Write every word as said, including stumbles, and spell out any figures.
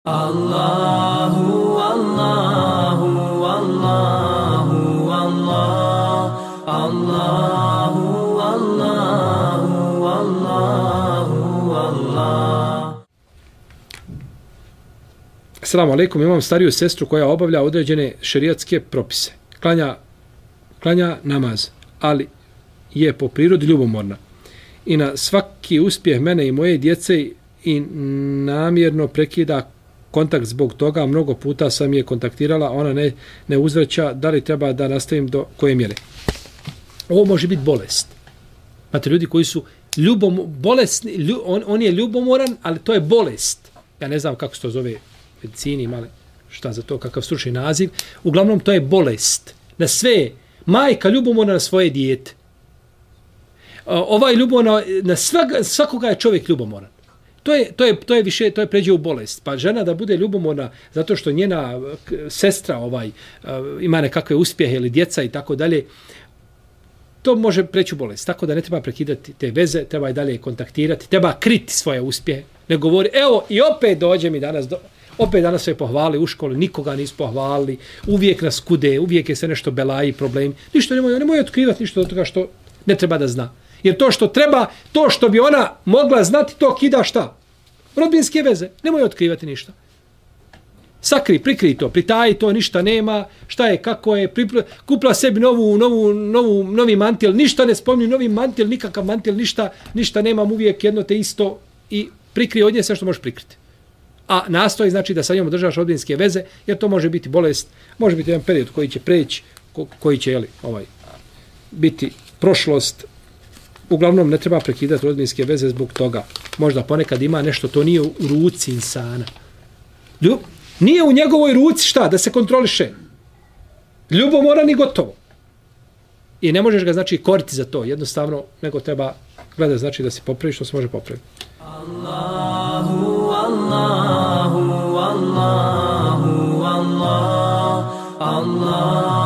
Allahu, Allahu, Allahu, Allah, Allahu, Allahu, Allahu, Allah. Assalamu alaikum, imam stariju sestru koja obavlja određene šerijatske propise. Klanja, klanja namaz, ali je po prirodi ljubomorna. I na svaki uspjeh mene i moje djece i namjerno prekida kontakt zbog toga. Mnogo puta sam je kontaktirala, ona ne, ne uzvraća. Da li treba da nastavim do koje mjere? Ovo može biti bolest. Znate, ljudi koji su ljubom, bolesni, lju, on, on je ljubomoran, ali to je bolest. Ja ne znam kako se to zove medicini, imali šta za to, kakav stručni naziv. Uglavnom, to je bolest. Na sve, majka ljubomorna na svoje dijete. Ovaj ljubomorna, na svega, svakoga je čovjek ljubomoran. To je, to je, to je više, to je pređe u bolest. Pa žena da bude ljubomorna zato što njena sestra ovaj ima nekakve uspjehe ili djeca i tako dalje, to može preći u bolest. Tako da ne treba prekidati te veze, treba i dalje kontaktirati, treba kriti svoje uspjehe. Ne govori, evo i opet dođe mi danas, do, opet danas sve pohvali u školi, nikoga nisu pohvalili, uvijek nas kude, uvijek je sve nešto belaji, problemi. Ništa nemoj, nemoj otkrivati ništa od toga što ne treba da zna. Jer to što treba, to što bi ona mogla znati, to kida šta? Rodbinske veze. Nemoj otkrivati ništa. Sakri, prikri to, pritaji to, ništa nema, šta je, kako je, pripla, kupla sebi novu, novu, novu, novi mantil, ništa ne spominju, novi mantil, nikakav mantil, ništa, ništa nemam, uvijek jedno te isto i prikri od nje sve što možeš prikriti. A nastoji znači da sa njom održavaš rodbinske veze, jer to može biti bolest, može biti jedan period koji će preći, ko, koji će jeli, ovaj, biti prošlost. Uglavnom, ne treba prekidati rodbinske veze zbog toga. Možda ponekad ima nešto, to nije u ruci insana. Ljub, nije u njegovoj ruci šta? Da se kontroliše. Ljubomoran i gotovo. I ne možeš ga, znači, koriti za to. Jednostavno, nego treba gledati, znači, da se popravi što se može popraviti. Allahu, Allahu, Allahu, Allah, Allah.